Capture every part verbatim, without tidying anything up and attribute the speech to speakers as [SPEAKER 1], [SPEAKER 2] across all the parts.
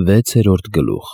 [SPEAKER 1] Վեցերորդ գլուխ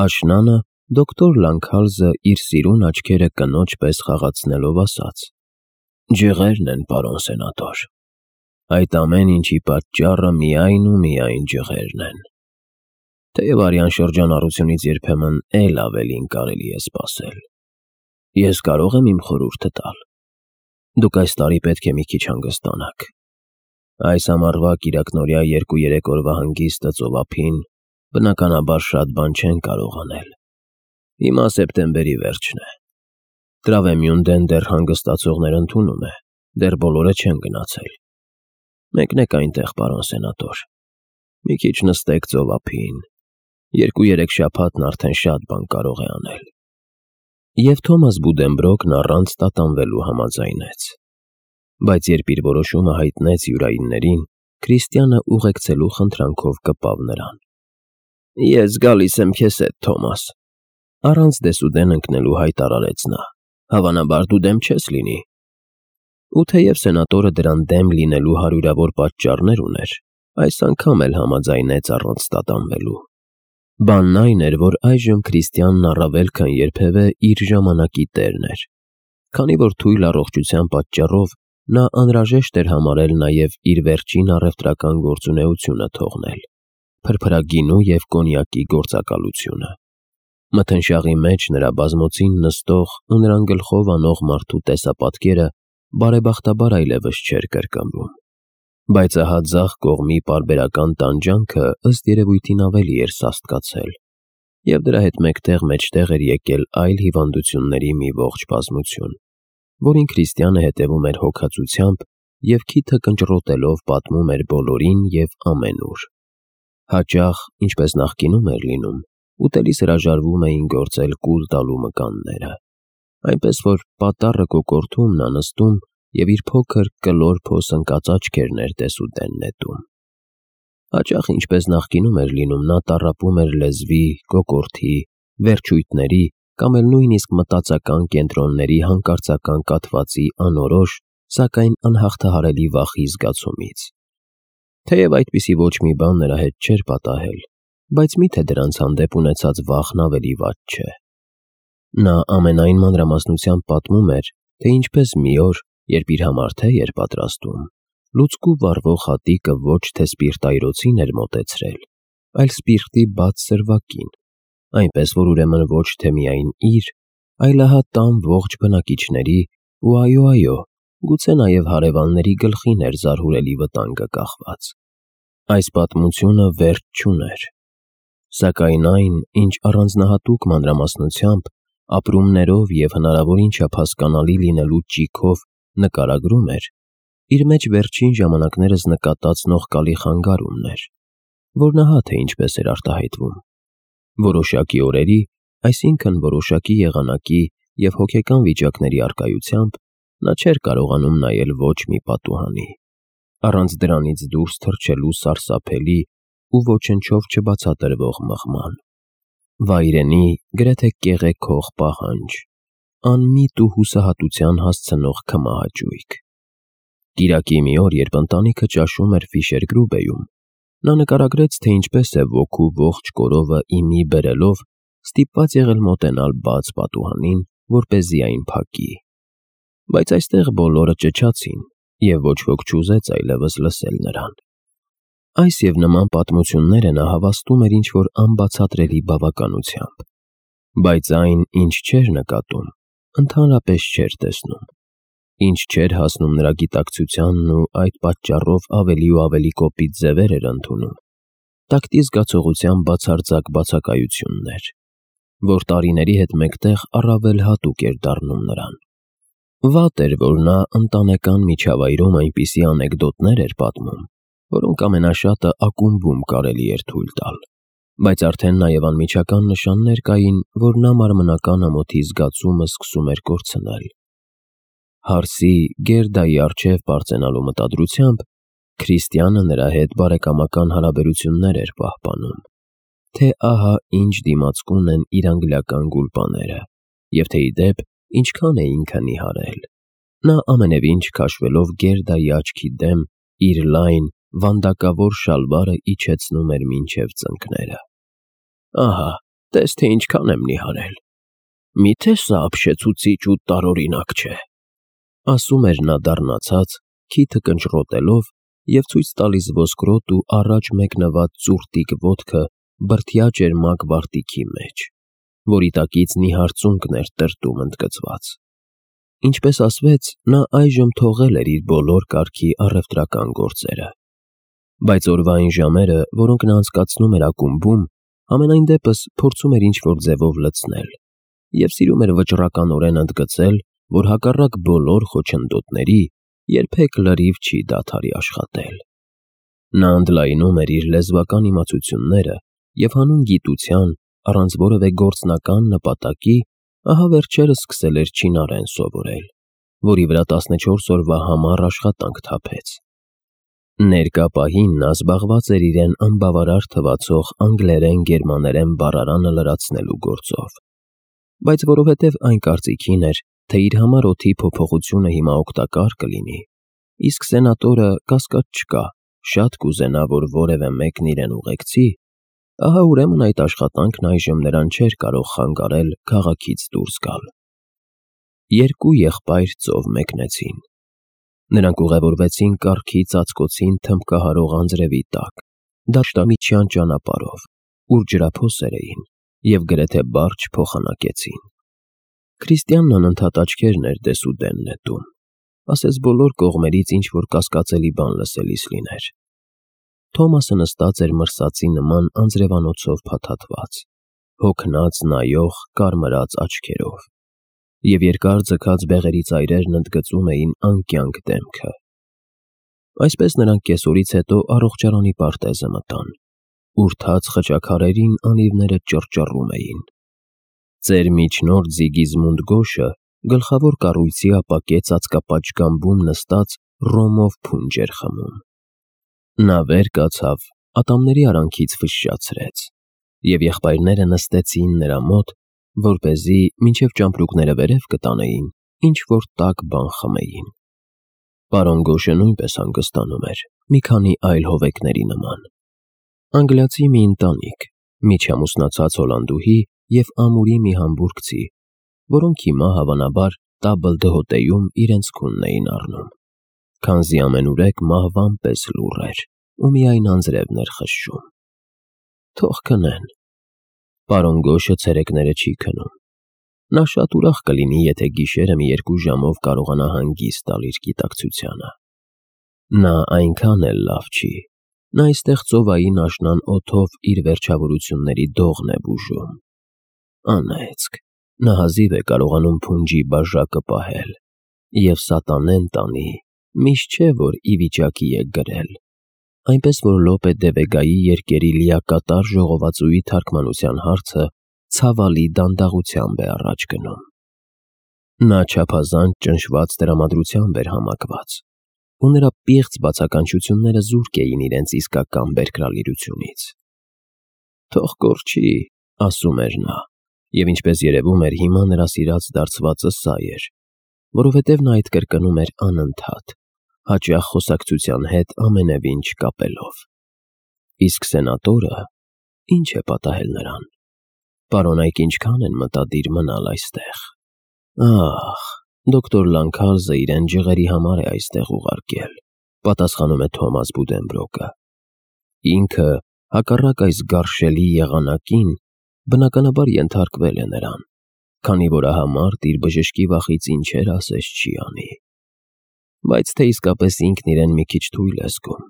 [SPEAKER 1] Աշնանը դոկտոր Լանքհալզը իր սիրուն աչքերը կնոջ պես խաղացնելով ասաց. «Ջղերն են, պարոն սենատոր, այդ ամեն ինչի պատճառը միայն ու միայն ջղերն են, թեև արյան շրջանառությունից երբեմն էլ ավելին կարելի է սպասել։ Ես կարող եմ իմ խորհուրդը տալ. դուք այս տարի պետք է մի քիչ հանգստանաք։ Այս ամառվա կիրակնօրյա երկու-երեք օրվա հանգիստը ծովափին բնականաբար շատ բան չեն կարող անել։ Հիմա սեպտեմբերի վերջն է։ Տրավեմյունդեն դեռ հանգստացողներ ընդունում է, դեռ բոլորը չեն գնացել։ Մեկնեք այնտեղ, պարոն սենատոր, մի քիչ նստեք ծովափին, երկու-երեք շաբաթն արդեն շատ բան կարող է անել»։ Եվ Թոմաս Բուդենբրոկն առանց տատանվելու համաձայնեց։ Բայց երբ իր որոշումը հայտնեց յուրայիններին, Քրիստիանը ուղեկցելու խնդրանքով կպավ նրան. «Ես գալիս եմ քեզ հետ, Թոմաս», առանց դեսուդեն ընկնելու հայտարարեց նա, «հավանաբար դու դեմ չես լինի»։ Ու թեև սենատորը դրան դեմ լինելու հարյուրավոր պատճառներ ուներ, այս անգամ էլ համաձայնեց առանց տատանվելու։ Բանն այն էր, որ այժմ Քրիստիանն առավել քան երբևէ իր ժամանակի տերն էր, քանի որ թույլ առողջության պատճառով նա անհրաժեշտ էր համարել նաև իր վերջին առևտրական գործունեությունը թողնել՝ փրփրագինու և կոնյակի գործակալությունը։ Մթնշաղի մեջ նրա բազմոցին նստող ու նրան գլխով անող մարդու տեսապատկերը բարեբախտաբար այլևս չէր կրկնվում, բայց ահա ձախ կողմի պարբերական տանջանքը ըստ երևույթին ավելի էր սաստկացել, և դրա հետ մեկտեղ մեջտեղ էր եկել այլ հիվանդությունների մի ողջ բազմություն, որին Քրիստիանը հետևում էր հոգածությամբ և քիթը կնճռոտելով պատմում էր բոլորին և ամենուր։ Հաճախ, ինչպես նախկինում էր լինում, ուտելիս հրաժարվում էին գործել կուլ տալու մկանները, այնպես որ պատառը կոկորդում նա նստում և իր փոքր կլոր փոս ընկած աչքերն էր դեսուդեն նետում։ Հաճախ, ինչպես նախկինում էր լինում, նա տառապում էր լեզվի, կոկորդի, վերջույթների կամ էլ նույնիսկ մտածական կենտրոնների հանկարծական կաթվածի անորոշ, սակայն անհաղթահարելի վախի զգացումից։ Թեև այդպիսի ոչ մի բան նրա հետ չէր պատահել, բայց միթե դրանց հանդեպ ունեցած վախն ավելի վատ չէ։ Նա ամենայն մանրամասնությամբ պատմում էր, թե ինչպես մի օր, երբ իր համար թե էր պատրաստում, լուցկու վառվող հատիկը ոչ թե սպիրտայրոցին էր մոտեցրել, այլ սպիրտի բաց սրվակին, այնպես որ ուրեմն ոչ թե միայն իր, այլ ահա տան ողջ բնակիչների ու այո, գուցե նաև հարևանների գլխին էր զարհուրելի վտանգը կախված։ Այս պատմությունը վերջ չուներ, սակայն այն, ինչ առանձնահատուկ մանրամասնությամբ, ապրումներով և հնարավորին չափ հասկանալի լինելու ճիգով նկարագրում էր, իր մեջ վերջին ժամանակներս նկատած նողկալի խանգարումն էր, որն ահա թե ինչպես էր արտահայտվում։ Որոշակի օրերի, այսինքն որոշակի եղանակի և հոգեկան վիճակների առկայությամբ նա չէր կարողանում նայել ոչ մի պատուհանի, առանց դրանից դուրս թռչելու սարսափելի ու ոչնչով չբացատրվող մղման։ Վայրենի, գրեթե կեղեքող պահանջ, անմիտ ու հուսահատության հասցնող քմահաճույք։ Կիրակի մի օր, երբ ընտանիքը ճաշում էր Ֆիշեր-Գրուբեյում, նա նկարագրեց, թե ինչպես է ոգու ողջ կորովը ի մի բերելով ստիպված եղել մոտենալ բաց պատուհանին, որպեսզի այն փակի։ Բայց այստեղ բոլորը ճչացին, և ոչ ոք չուզեց այլևս լսել նրան։ Այս և նման պատմությունները նա հավաստում էր ինչ-որ անբացատրելի բավականությամբ, բայց այն, ինչ չէր նկատում, ընդհանրապես չէր տեսնում, ինչ չէր հասնում նրա գիտակցությանն ու այդ պատճառով ավելի ու ավելի կոպիտ ձևեր էր ընդունում, տակտի զգացողության բացարձակ բացակայություններ, որ տարիների հետ մեկտեղ առավել հատուկ էր դառնում նրան։ Վատ էր, որ նա ընտանեկան միջավայրում այնպիսի անեկդոտներ էր պատմում, որոնք ամենաշատը ակումբում կարելի էր թույլ տալ, բայց արդեն նաև անմիջական նշաններ կային, որ նա մարմնական ամոթի զգացումը սկսում էր կորցնել։ Հարսի, Գերդայի առջև պարծենալու մտադրությամբ Քրիստիանը նրա հետ բարեկամական հարաբերություններ էր պահպանում, թե ահա ինչ դիմացկուն են իր անգլիական գուլպաները, և թե ի դեպ ինչքան է ինքը նիհարել։ Նա ամենևին չքաշվելով Գերդայի աչքի դեմ իր լայն, վանդակավոր շալվարը իջեցնում էր մինչև ծնկները։ Ահա, տես թե ինչքան եմ նիհարել։ Միթե սա ապշեցուցիչ ու տարօրինակ չէ, ասում էր նա դառնացած, քիթը կնճռոտելով և ցույց տալիս ոսկրոտ ու առաջ մեկնված ծուրտիկ ոտքը բրդյա ճերմակ վարտիքի մեջ, որի տակից նիհար ծունկն էր տրտում ընդգծված։ Ինչպես ասվեց, նա այժմ թողել էր իր բոլոր կարգի առևտրական գործերը, բայց օրվա այն ժամերը, որոնք նա անցկացնում էր ակումբում, համենայն դեպս փորձում էր ինչ-որ ձևով լցնել և սիրում էր վճռականորեն ընդգծել, որ հակառակ բոլոր խոչընդոտների երբեք լրիվ չի դադարի աշխատել։ Նա ընդլայնում էր իր լեզվական իմացությունները և հանուն գիտության, առանց որևէ գործնական նպատակի, ահա վերջերս սկսել էր չինարեն սովորել, որի վրա տասնչորս օրվա համառ աշխատանք թափեց։ Ներկա պահին նա զբաղված էր իրեն անբավարար թվացող անգլերեն-գերմաներեն բառարանը լրացնելու գործով, բայց որովհետև այն կարծիքին էր, թե իր համար օդի փոփոխությունը հիմա օգտակար կլինի, իսկ սենատորը, կասկած չկա, շատ կուզենա, որ որևէ մեկն իրեն ուղեկցի, ահա ուրեմն այդ աշխատանքն այժմ նրան չէր կարող խանգարել քաղաքից դուրս գալ։ Երկու եղբայր ծով մեկնեցին։ Նրանք ուղևորվեցին կառքի ծածկոցին թմբկահարող անձրևի տակ, դաշտամիջյան ճանապարհով, ուր ջրափոսեր էին, և գրեթե բարդ չփոխանակեցին։ Քրիստիանն անընդհատ աչքերն էր դեսուդեն նետում, ասես բոլոր կողմերից ինչ-որ կասկածելի բան լսելիս լիներ։ Թոմասը նստած էր մրսածի նման անձրևանոցով փաթաթված, հոգնած նայող կարմրած աչքերով, և երկար ձգած բեղերի ծայրերն ընդգծում էին անկյանք դեմքը։ Այսպես նրանք կեսօրից հետո առողջարանի պարտեզը մտան, ուր թաց խճաքարերին անիվները ճռճռում էին։ Ծեր միջնորդ Զիգիզմունդ Գոշը գլխավոր կառույցի ապակե ծածկապատշգամբում նստած ռոմով փունջ էր խմում։ Նա վեր կացավ, ատամների արանքից ֆշշացրեց, և եղբայրները նստեցին նրա մոտ, որպեսզի մինչև ճամպրուկները վերև կտանեին, ինչ-որ տաք բան խմեին։ Պարոն Գոշը նույնպես հանգստանում էր, մի քանի այլ հովեկների նման։ Անգլիացի մի ընտանիք, միջամուսնացած հոլանդուհի և ամուրի մի համբուրգցի, որոնք հիմա հավանաբար տաբլ դհոտեյում իրենց քունն էին առնում, քանզի ամենուրեք մահվան պես լուռ էր ու միայն անձրևն էր խշշում։ Թող քնեն։ Պարոն Գոշը ցերեկները չի քնում։ Նա շատ ուրախ կլինի, եթե գիշերը մի երկու ժամով կարողանա հանգիստ տալ իր գիտակցությանը։ Նա այնքան էլ լավ չի։ Նա այստեղ ծովային աշնան օդով իր վերջավորությունների դողն է բուժում։ Անեծք, նա հազիվ է կարողանում փունջի բաժակը պահել, և սատանեն տանի, միշտ չէ, որ ի վիճակի է գրել, այնպես որ Լոպե դե Վեգայի երկերի լիակատար ժողովածուի թարգմանության հարցը ցավալի դանդաղությամբ է առաջ գնում։ Նա չափազանց ճնշված տրամադրությամբ էր համակված, ու նրա պիղծ բացականչությունները զուրկ էին իրենց իսկական բերկրալիրությունից։ Թող կորչի, ասում էր նա, և ինչպես երևում էր հիմա նրա սիրած դարձվածը սա էր, որովհետև նա այդ կրկնում էր անընդհատ, հաճախ խոսակցության հետ ամենևին չկապելով։ Իսկ սենատորը, ի՞նչ է պատահել նրան։ Պարոնայք ինչքան են մտադիր մնալ այստեղ։ Ախ, դոկտոր Լանքալզը իրեն ջղերի համար է այստեղ ուղարկել, պատասխանում է Թոմաս Բուդենբրոկը։ Ինքը, հակառակ այս գարշելի եղանակին, բնականաբար ենթարկվել է նրան, քանի որ ահա մարդ իր բժշկի վախից ինչեր ասես չի անի։ Բայց թե իսկապես ինքն իրեն մի քիչ թույլ է զգում։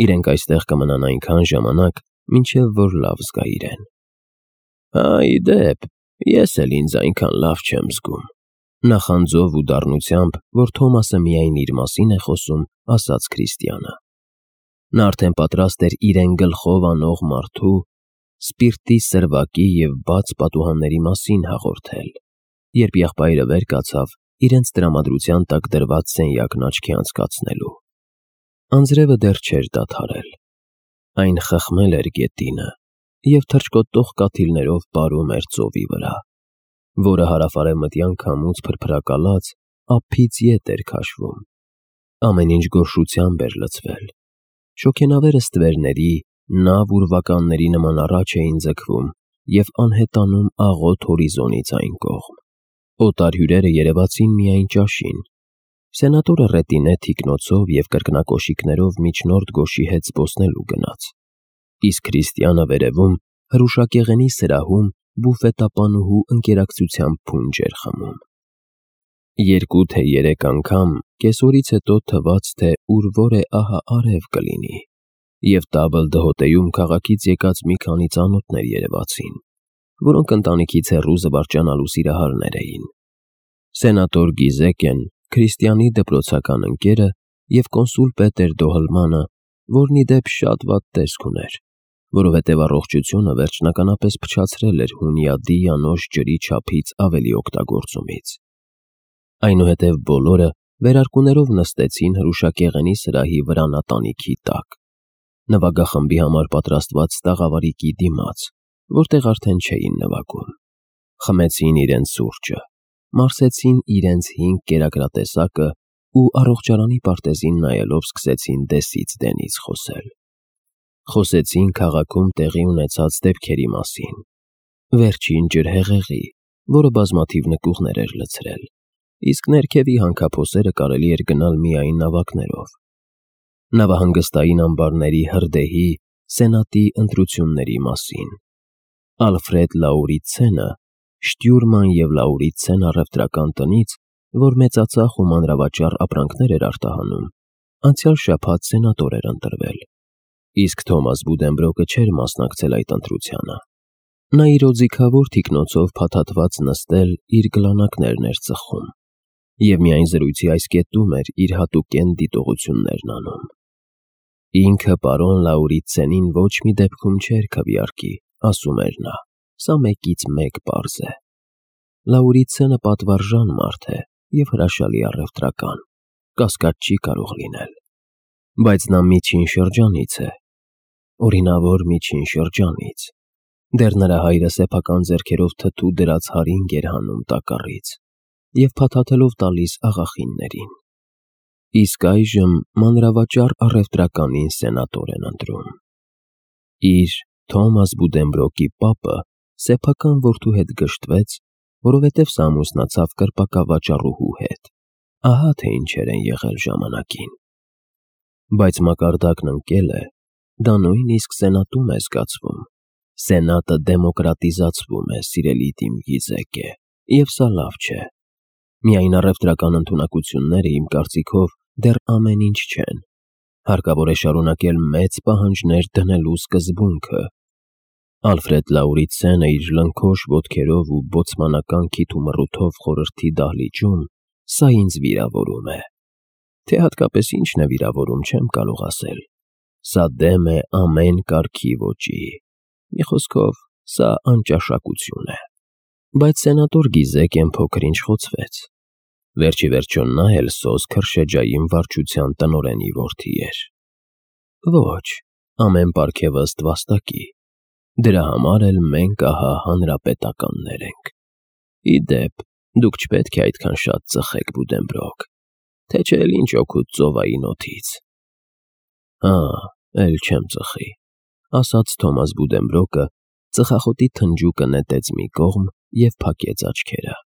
[SPEAKER 1] Իրենք այստեղ կմնան այնքան ժամանակ, մինչև որ լավ զգա իրեն։ Հա, ի դեպ, ես էլ ինձ այնքան լավ չեմ զգում, նախանձով ու դառնությամբ, որ Թոմասը միայն իր մասին է խոսում, ասաց Քրիստիանը։ Նա արդեն պատրաստ էր իրեն գլխով անող մարդու սպիրտի սրվակի և բաց պատուհանների մասին հաղորդել, երբ եղբայրը վեր կացավ իրենց տրամադրության տակ դրված սենյակն աչքի անցկացնելու։ Անձրևը դեռ չէր դադարել։ Այն խխմել էր գետինը և թռչկոտող կաթիլներով պարում էր ծովի վրա, որը հարավարևմտյան քամուց փրփրակալած ափից ետ էր քաշվում։ Ամեն ինչ գորշությամբ էր լցվել, Շոգենավերը ստվերների, նավ ուրվականների նման առաջ էին ձգվում և անհետանում աղոտ հորիզոնից այն կողմ։ Օտար հյուրերը երևացին միայն ճաշին։ Սենատորը ռետինե թիկնոցով և կրկնակոշիկներով միջնորդ գոշի հետ զբոսնելու գնաց, իսկ Քրիստիանը վերևում հրուշակեղենի սրահում բուֆետապանուհու ընկերակցությամբ փունջ էր խմում։ Երկու թե երեք անգամ կեսօրից հետո թվաց, թե ուր որ է ահա արև կլինի, և տաբլ դհոտեում քաղաքից եկած մի քանի ծանոթներ երևացին, որոնք ընտանիքից հեռու զվարճանալու սիրահարներ էին։ Սենատոր Գիզեկեն, Քրիստիանի դպրոցական ընկերը, և կոնսուլ Պետեր Դոհլմանը, որն ի դեպ շատ վատ տեսք ուներ, որովհետև առողջությունը վերջնականապես փչացրել էր հունյադի անոց ջրի չափից ավելի օգտագործումից։ Այնուհետև բոլորը վերարկուներով նստեցին հրուշակեղենի սրահի վրանատանիքի տակ, նվագախմբի համար պատրաստված տաղավարիկի դիմաց, որտեղ արդեն չէին նվագում։ Խմեցին իրենց սուրճը, մարսեցին իրենց հինգ կերակրատեսակը ու առողջարանի պարտեզին նայելով սկսեցին դեսից դենից խոսել։ Խոսեցին քաղաքում տեղի ունեցած դեպքերի մասին, վերջին ջրհեղեղի, որը բազմաթիվ նկուղներ էր լցրել, իսկ ներքևի հանքափոսերը կարելի էր գնալ միայն նավակներով, նավահանգստային ամբարների հրդեհի, սենատի ընտրությունների մասին, Ալֆրեդ Լաուրիցենը, Շտյուրման և Լաուրիցեն առևտրական տնից, որ մեծածախ ու մանրավաճառ ապրանքներ էր արտահանում, անցյալ շաբաթ սենատոր էր ընտրվել, իսկ Թոմաս Բուդենբրոկը չէր մասնակցել այդ ընտրությանը։ Նա իր օձիքավոր թիկնոցով փաթաթված նստել իր գլանակներն էր ծխում և միայն զրույցի այս կետում էր իր հատուկեն դիտողություններն անում։ Ինքը պարոն Լաուրիցենին ոչ մի դեպքում չէր քվեարկի, ասում էր նա, սա մեկից մեկ պարզ է։ Լաուրիցենը պատվարժան մարդ է և հրաշալի առևտրական, կասկած չի կարող լինել, բայց նա միջին շրջանից է, օրինավոր միջին շրջանից, դեռ նրա հայրը սեփական ձեռքերով թթու դրած հարինգ էր հանում տակառից և փաթաթելով տալիս աղախիններին, իսկ այժմ մանրավաճառ առևտրականին սենատոր են ընտրում։ Իր՝ Թոմաս Բուդենբրոկի պապը սեփական որդու հետ գժտվեց, որովհետև սա ամուսնացավ կրպակավաճառուհու հետ, ահա թե ինչեր են եղել ժամանակին։ Բայց մակարդակն ընկել է, դա նույնիսկ սենատում է զգացվում, սենատը դեմոկրատիզացվում է, սիրելի Տիմ Գիզեկե, և սա լավ չէ։ Միայն առևտրական ընդունակությունները, իմ կարծիքով, դեռ ամեն ինչ չեն, հարկավոր է շարունակել մեծ պահանջներ դնելու սկզբունքը։ Ալֆրեդ Լաուրիցենը իր լնքոշ ոտքերով ու բոցմանական քիթ ու մռութով խորհրդի դահլիճում, սա ինձ վիրավորում է, թե հատկապես ինչն է վիրավորում, չեմ կարող ասել, սա դեմ է ամեն կարգի ոճի, մի խոսքով, սա անճաշակություն է։ Բայց սենատոր Գիզեկեն փոքր-ինչ խոցվեց, վերջիվերջո նա էլ սոզ քրշեջային վարչության տնօրենի որդի էր։ Ոչ, ամեն պարգևը ըստ վաստակի, դրա համար էլ մենք ահա հանրապետականներ ենք։ Ի դեպ, դուք չպետք է այդքան շատ ծխեք, Բուդենբրոկ, թե չէ էլ ինչ օգուտ ծովային օդից։ Հա, էլ չեմ ծխի, ասաց Թոմաս Բուդենբրոկը, ծխախոտի թնջուկը նետեց մի կողմ և փակեց աչքերը։